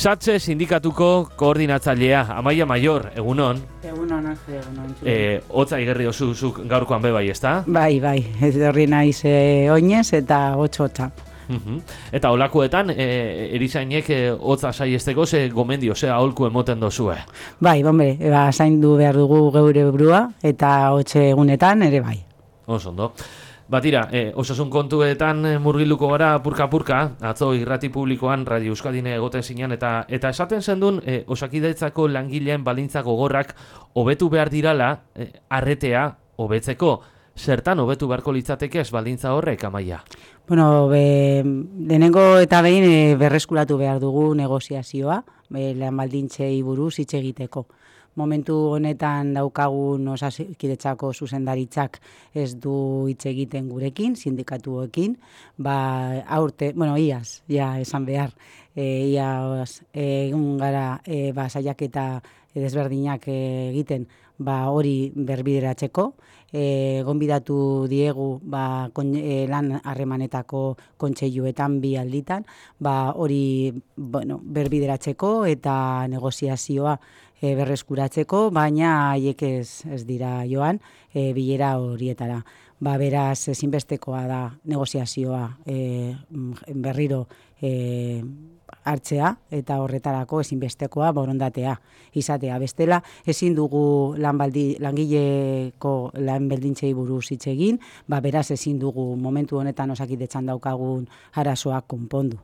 Satze sindikatuko koordinatzailea, Amaia Maior, egunon. Egunon, egunon. Hotza igerri zuk gaurkoan be bai, ezta? Bai, etorri naiz oinez eta hotza. Eta olakoetan, erizainek hotza saiesteko ze gomendio, ze aholku emoten dozue? Bai, bombe, zaindu behar dugu geure burua eta hotze egunetan ere bai. Osondo. Batira, osasun kontuetan murgiluko gara purka-purka, atzo irrati publikoan Radio Euskadine egoten zinean, eta esaten zendun Osakidetzako langileen baldintza gogorrak hobetu behar dirala, arretea hobetzeko. Zertan hobetu beharko litzateke ez baldintza horrek, Amaia? Bueno, lehenengo eta behin berreskuratu behar dugu negoziazioa, lan baldintzei buruz hitz egiteko. Momentu honetan daukagun Osakidetzako zuzendaritzak ez du hitz egiten gurekin, sindikatuekin, iaz, ja esan behar, iaz egun gara saiaketa desberdinak egiten, hori berbideratzeko, gonbidatu diegu lan harremanetako kontseiluetan bi alditan, hori berbideratzeko eta negoziazioa berreskuratzeko, baina haiek ez dira joan bilera horietara. Beraz, ezinbestekoa da negoziazioa berriro hartzea eta horretarako ezinbestekoa borondatea izatea. Bestela, ezin dugu langileko lan baldintzei buruz hitz egin, beraz ezin dugu momentu honetan Osakidetzan daukagun arazoak konpondu.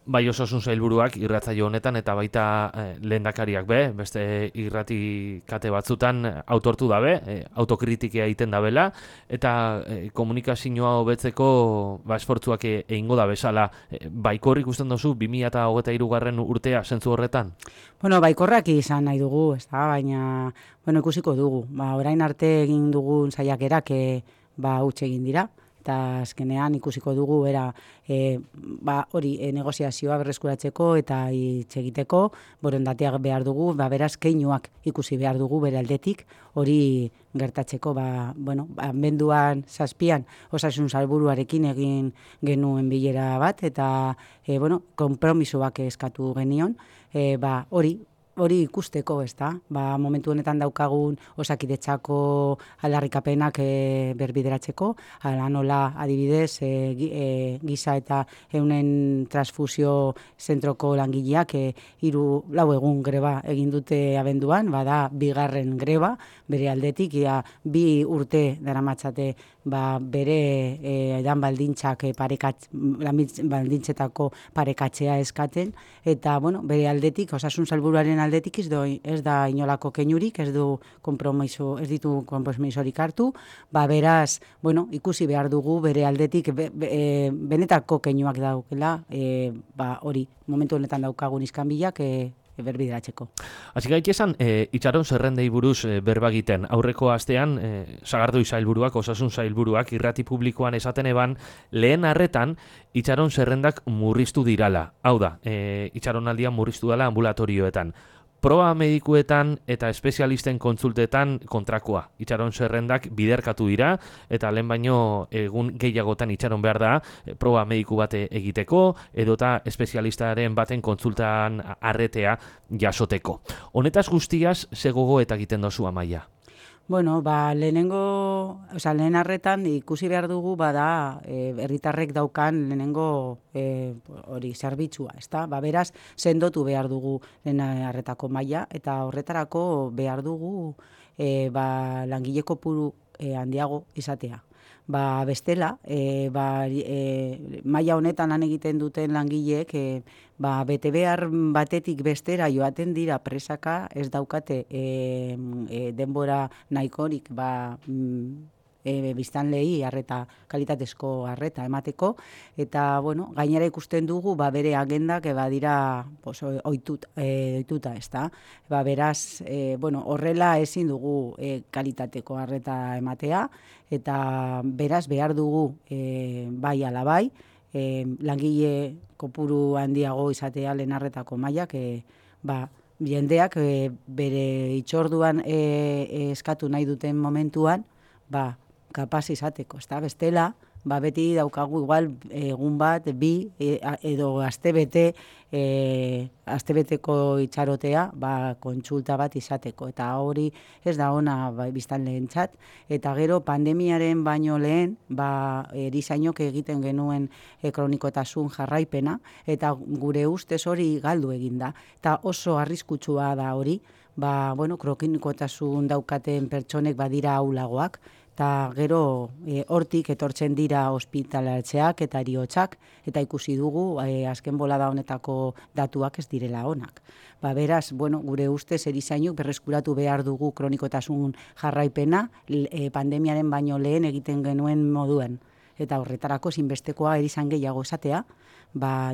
Bai, osasun sailburuak irratsaio honetan eta baita lehendakariak beste irrati kate batzutan autortu dabe, autokritika egiten dabela, eta komunikazioa hobetzeko esfortzuak egingo da bezala. Baikor ikusten duzu 2023 urtea zentzu horretan? Bueno, baikorrak izan nahi dugu, baina ikusiko dugu. Orain arte egin dugun saiakerak huts egin dira. Eta azkenean ikusiko dugu hori negoziazioa berreskuratzeko eta hitz egiteko borondateak behar dugu, beraz keinuak ikusi behar dugu bere aldetik hori gertatzeko. Abenduan 7an osasun sailburuarekin egin genuen bilera bat eta konpromisoak eskatu genion, hori ikusteko, momentu honetan daukagun Osakidetzako aldarrikapenak berbideratzeko, hala nola adibidez giza eta eunen transfusio zentroko langileak 4 egun greba egin dute abenduan, bada bigarren greba, bere aldetik, 2 urte daramatzate bere lan baldintzetako parekatzea eskaten, eta bere aldetik, osasun sailburuaren aldetik ez da inolako keinurik, ez ditu konpromisorik hartu, beraz, ikusi behar dugu bere aldetik benetako keinuak daukela, hori, momentu honetan daukagun iskanbilak berbideratzeko. Hasi gaitezen, itxaron zerrendei buruz berba egiten. Aurreko astean, Sagardui sailburuak, osasun sailburuak, irrati publikoan esaten eban, lehen arretan, itxaron zerrendak murriztu dirala. Hau da, itxaronaldian murriztu dela ambulatorioetan. Proba medikuetan eta espezialisten kontsultetan kontrakoa. Itxaron zerrendak biderkatu dira, eta lehen baino egun gehiagotan itxaron behar da, proba mediku bate egiteko, edota espezialistaren baten kontsultan arretea jasoteko. Honetaz guztiaz, ze gogo eta egiten dozu, Amaia? Lehen arretan ikusi behar dugu herritarrek daukan lehenengo zerbitzua, beraz, sendotu behar dugu lehen arretako maila, eta horretarako behar dugu langile kopuru handiago izatea. Bestela, maila honetan lan egiten duten langileek bete behar batetik bestera joaten dira presaka, ez daukate denbora nahikorik biztanleei kalitatezko arreta emateko, eta gainera ikusten dugu bere agendak badira ohituta, beraz, horrela ezin dugu kalitateko arreta ematea, eta beraz behar dugu bai ala bai, langile kopuru handiago izatea lehen arretako mailak, jendeak bere itxorduan eskatu nahi duten momentuan, kapaz izateko, bestela, beti daukagu igual egun bat, bi, edo astebete, astebeteko itxarotea, kontsulta bat izateko. Eta hori ez da ona biztanleentzat. Eta gero pandemiaren baino lehen, erizainok egiten genuen kronikotasun jarraipena, eta gure ustez hori galdu eginda. Eta oso arriskutsua da hori, kronikotasun daukaten pertsonek badira ahulagoak, eta gero hortik etortzen dira ospitalatzeak eta heriotzak, eta ikusi dugu azken bolada honetako datuak ez direla onak. Beraz, gure ustez erizainok berreskuratu behar dugu kronikotasun jarraipena pandemiaren baino lehen egiten genuen moduen. Eta horretarako zinbestekoa erizain gehiago esatea,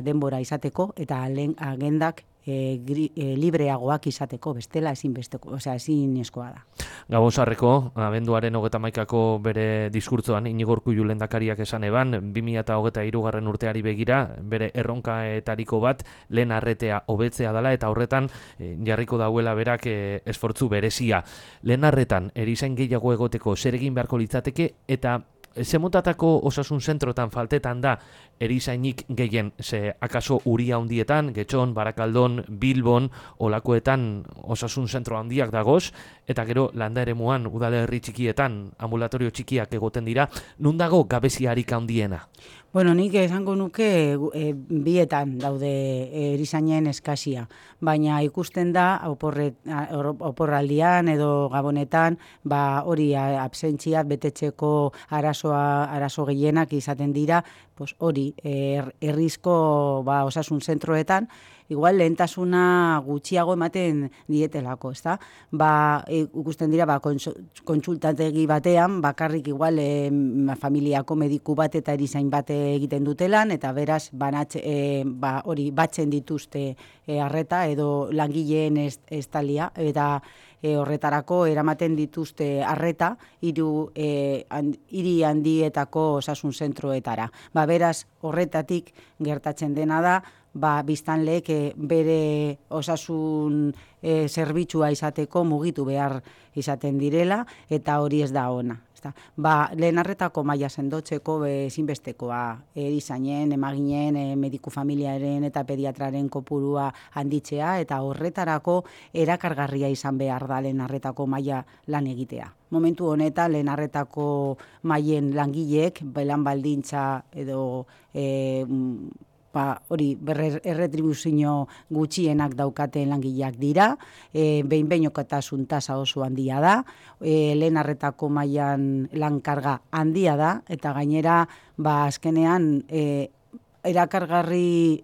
denbora izateko eta agendak libreagoak izateko, bestela ezinezkoa da. Gabon-Sarreko, abenduaren 31ko bere diskurtzoan Iñigo Urkullu lehendakariak esan eban, 2023 urteari begira, bere erronkaetariko bat lehen arretea hobetzea dela eta horretan jarriko dauela berak esfortzu berezia. Lehen arretan erizain gehiago egoteko zer egin beharko litzateke eta zemotatako osasun zentrotan faltetan da erizainik gehien, akaso Uria handietan, Getxon, Barakaldon, Bilbon, olakoetan osasun zentro handiak dagoz, eta gero landa eremuan udalerri txikietan, ambulatorio txikiak egoten dira, nun dago gabeziarik handiena? Nik esango nuke bietan daude erizainen eskasia, baina ikusten da oporraldian edo gabonetan hori absentzia betetzeko arazo gehienak izaten dira, hori herrizko osasun zentroetan, igual lehentasuna gutxiago ematen dietelako, ezta? Ikusten dira, kontsultategi batean, bakarrik igual familiako mediku bat eta erizain bat egiten dutelan, eta beraz, hori batzen dituzte arreta edo langileen estalia, eta horretarako eramaten dituzte arreta hiri handietako osasun zentroetara. Beraz, horretatik gertatzen dena da, biztanleek bere osasun zerbitzua izateko mugitu behar izaten direla, eta hori ez da ona. Lehen arretako maila sendotzeko ezinbestekoa erizainen, emaginen, mediku familiaren eta pediatraren kopurua handitzea, eta horretarako erakargarria izan behar da lehen arretako maila lan egitea. Momentu honetan lehen arretako mailen langileek, lan baldintza edo hori erretribuzio gutxienak daukaten langileak dira, behin-behinekotasun tasa oso handia da, lehen arretako mailan lankarga handia da, eta gainera azkenean erakargarri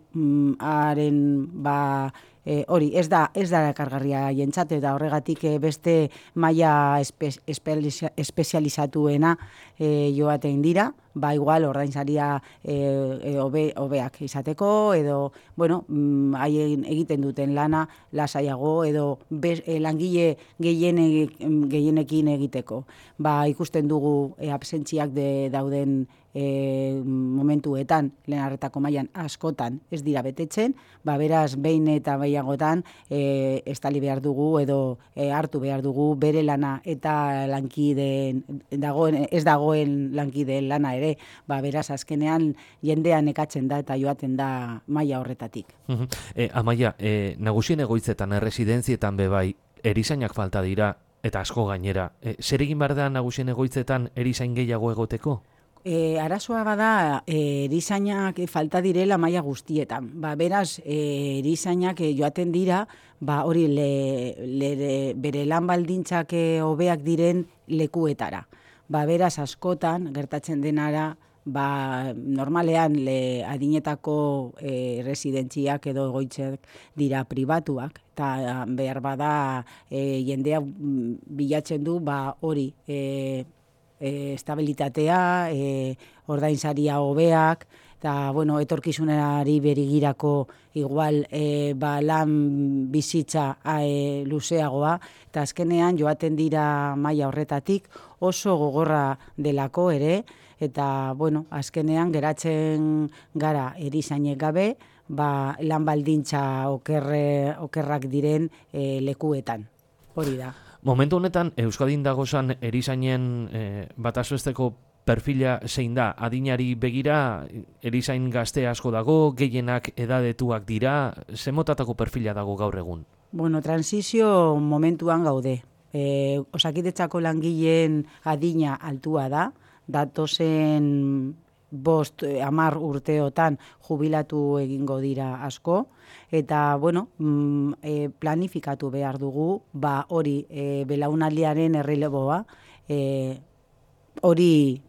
hori ez da erakargarria jentzat, eta horregatik beste maila espezializatuena joaten dira, igual ordainsaria hobeak izateko, edo, haien egiten duten lana lasaiago, edo langile gehienekin egiteko. Ikusten dugu absentziak dauden momentuetan, lehen arretako mailan askotan ez dira betetzen, beraz, behin eta behiagotan estali behar dugu, edo hartu behar dugu bere lana eta lankideen, ez dagoen lankideen lana ere, beraz, azkenean jendean ekatzen da eta joaten da maila horretatik. Amaia, nagusien egoitzetan, erresidentzietan bebai, erizainak falta dira, eta asko gainera. Zer egin behar da nagusien egoitzetan erizain gehiago egoteko? Arazoa bada erizainak falta direla maila guztietan. Beraz, erizainak joaten dira, hori bere lan baldintzak hobeak diren lekuetara. Beraz, askotan, gertatzen denara, normalean adinetako residentziak edo egoitzak dira pribatuak, eta behar bada jendea bilatzen du hori estabilitatea, ordainsaria hobeak, eta etorkizunari berigirako igual lan bizitza luzeagoa, eta azkenean joaten dira maila horretatik oso gogorra delako ere, eta azkenean geratzen gara erizainek gabe, lan baldintza okerrak diren lekuetan. Hori da. Momentu honetan, Euskadin dagozan erizainen bataz besteko perfila zein da, adinari begira, erizain gazte asko dago, gehienak edadetuak dira, ze motatako perfila dago gaur egun? Bueno, transizio momentuan gaude. Osakidetzako langileen adina altua da, datozen 5-10 urteotan jubilatu egingo dira asko, eta bueno, planifikatu behar dugu, hori belaunaldiaren erreleboa, hori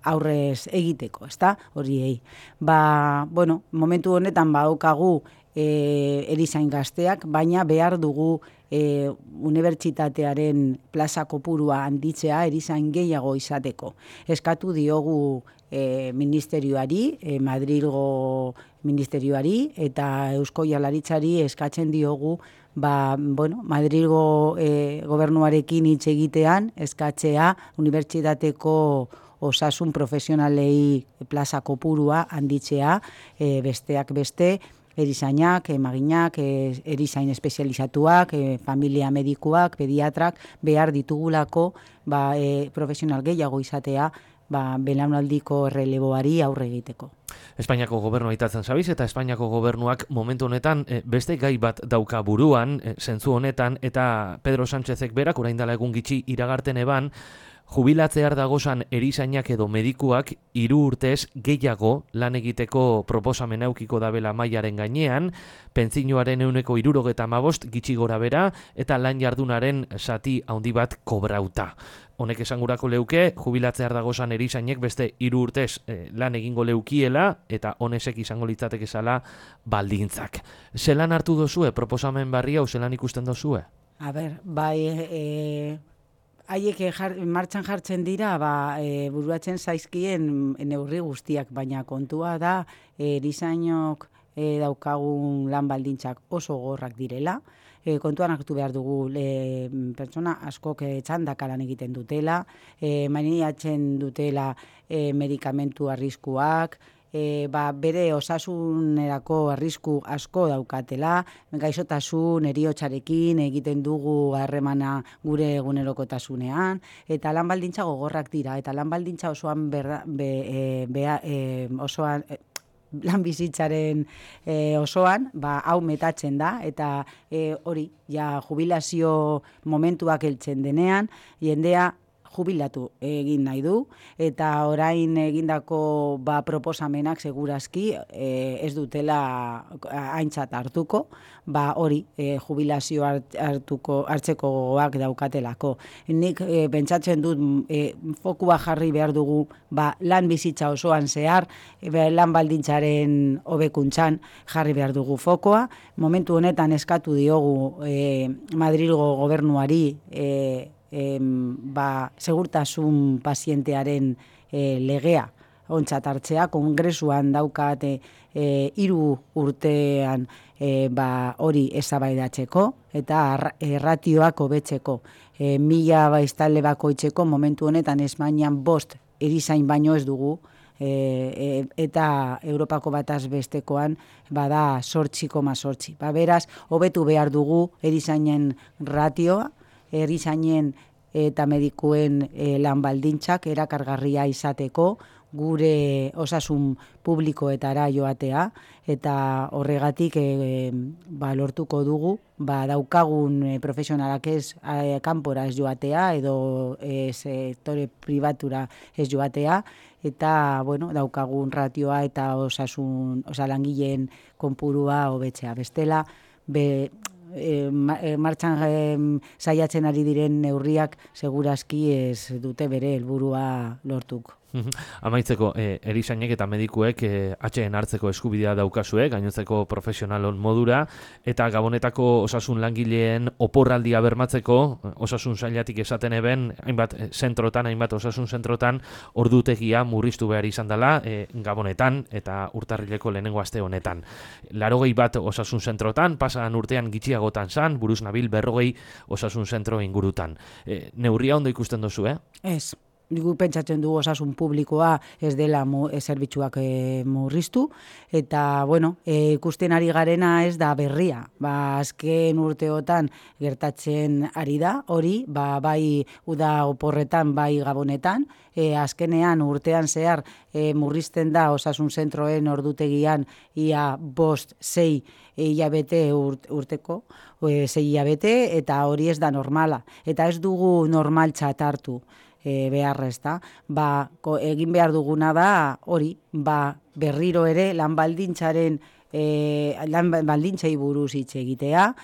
aurrez egiteko, ezta? Horiei. Bueno, momentu honetan badaukagu erizain gazteak, baina behar dugu unibertsitatearen plaza kopurua handitzea erizain gehiago izateko. Eskatu diogu ministerioari, Madrilgo ministerioari eta Eusko Jaurlaritzari eskatzen diogu Madrilgo gobernuarekin hitz egitean eskatzea unibertsitateko osasun profesionalei plaza kopurua handitzea, besteak beste, erizainak, emaginak, erizain espezializatuak, familia medikuak, pediatrak, behar ditugulako profesional gehiago izatea belaunaldiko erreleboari aurre egiteko. Espainiako gobernua aitatzen zabiz, eta Espainiako gobernuak momentu honetan beste gai bat dauka buruan, zentzu honetan, eta Pedro Sánchezek berak orain dela egun gitxi iragarten eban, jubilatzear dagozan erizainak edo medikuak 3 urtez gehiago lan egiteko proposamen eukiko dabela mailaren gainean, pentsinoaren 75% gitxi gora bera, eta lan jardunaren zati handi bat kobrauta. Honek esangurako leuke, jubilatzear dagozan erizainek beste 3 urtez lan egingo leukiela, eta honesek izango litzatek ezala baldintzak. Zelan hartu dozue, proposamen barri hau zelan ikusten dozue? A ber, haiek martxan jartzen dira, buruatzen zaizkien neurri guztiak, baina kontua da erizainok daukagun lan baldintzak oso gorrak direla. Kontuan hartu behar dugu pertsona askok txandaka lan egiten dutela, maniatzen dutela medikamentu arriskuak, bere osasunerako arrisku asko daukatela, gaixotasun, heriotzarekin egiten dugu harremana gure egunerokotasunean, eta lan baldintza gogorrak dira, eta lan baldintza osoan lan bizitzaren osoan, hau metatzen da, eta hori, jubilazio momentuak heltzen denean, jendea jubilatu egin nahi du, eta orain egindako proposamenak segurazki ez dutela aintzat hartuko, hori jubilazio hartzeko gogoak daukatelako. Nik pentsatzen dut fokua jarri behar dugu lan bizitza osoan zehar, lan baldintzaren hobekuntzan jarri behar dugu fokoa. Momentu honetan eskatu diogu Madrilgo gobernuari segurtasun pazientearen legea ontzat hartzea, kongresuan daukate 3 urtean hori eztabaidatzeko eta ratioak hobetzeko. 1000 biztanle bakoitzeko momentu honetan Espainian 5 erizain baino ez dugu, eta Europako bataz bestekoan bada 8,8. Beraz, hobetu behar dugu erizainen ratioa, erizainen eta medikuen lan baldintzak erakargarria izateko, gure osasun publikoetara joatea, eta horregatik lortuko dugu, daukagun profesionalak ez kanpora ez joatea, edo sektore pribatura ez joatea, eta daukagun ratioa eta langileen konpurua hobetzea. Bestela, martxan saiatzen ari diren neurriak segurazki ez dute bere helburua lortuko. Amaitzeko, erizainek eta medikuek atxeen hartzeko eskubidea daukazue, gainontzeko profesionalon modura, eta Gabonetako osasun langileen oporraldia bermatzeko, osasun sailatik esaten eben, hainbat osasun zentrotan, ordutegia murriztu behar izan dela, Gabonetan eta urtarrileko lehenengo aste honetan. 81 osasun zentrotan, pasan urtean gitxiagotan zan, buruz nabil 40 osasun zentro ingurutan. Neurria ondo ikusten dozu, Ez. gu pentsatzen dugu osasun publikoa ez dela zerbitzuak murriztu, eta, bueno, ikusten ari garena ez da berria. Azken urteotan gertatzen ari da, hori, bai uda oporretan, bai gabonetan, azkenean urtean zehar murrizten da osasun zentroen ordutegian ia 5-6 hilabete urteko, 6 hilabete, eta hori ez da normala. Eta ez dugu normaltzat hartu beharrez da. Egin behar duguna da hori, berriro ere lan baldintzei buruz hitz egitea,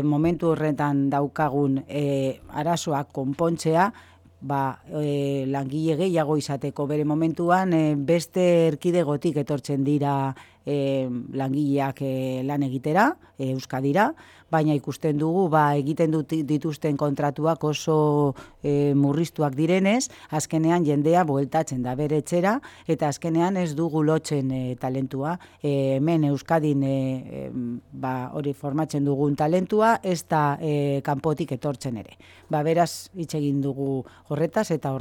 momentu horretan daukagun arazoak konpontzea, langile gehiago izateko bere momentuan beste erkidegotik etortzen dira langileak lan egitera, Euskadira, baina ikusten dugu egiten dituzten kontratuak oso murriztuak direnez, azkenean jendea bueltatzen da bere etxera, eta azkenean ez dugu lotzen talentua. Hemen Euskadin hori formatzen dugun talentua, ez da kanpotik etortzen ere. Beraz, hitz egin dugu horretaz, eta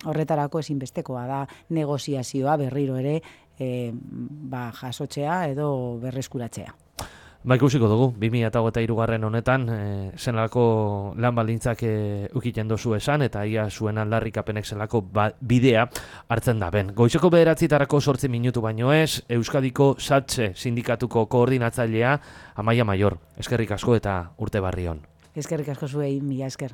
horretarako ezinbestekoa da negoziazioa berriro ere jasotzea edo berreskuratzea. Ikusiko dugu, 2023 honetan, zenalako lan baldintzak ukiten dozu esan, eta ia zuen aldarrikapenek zelako bidea hartzen da ben. Goizeko 9:00 8 minutu baino ez, Euskadiko SATSE sindikatuko koordinatzailea Amaia Maior. Eskerrik asko eta urte barri on. Eskerrik asko zuei, mila esker.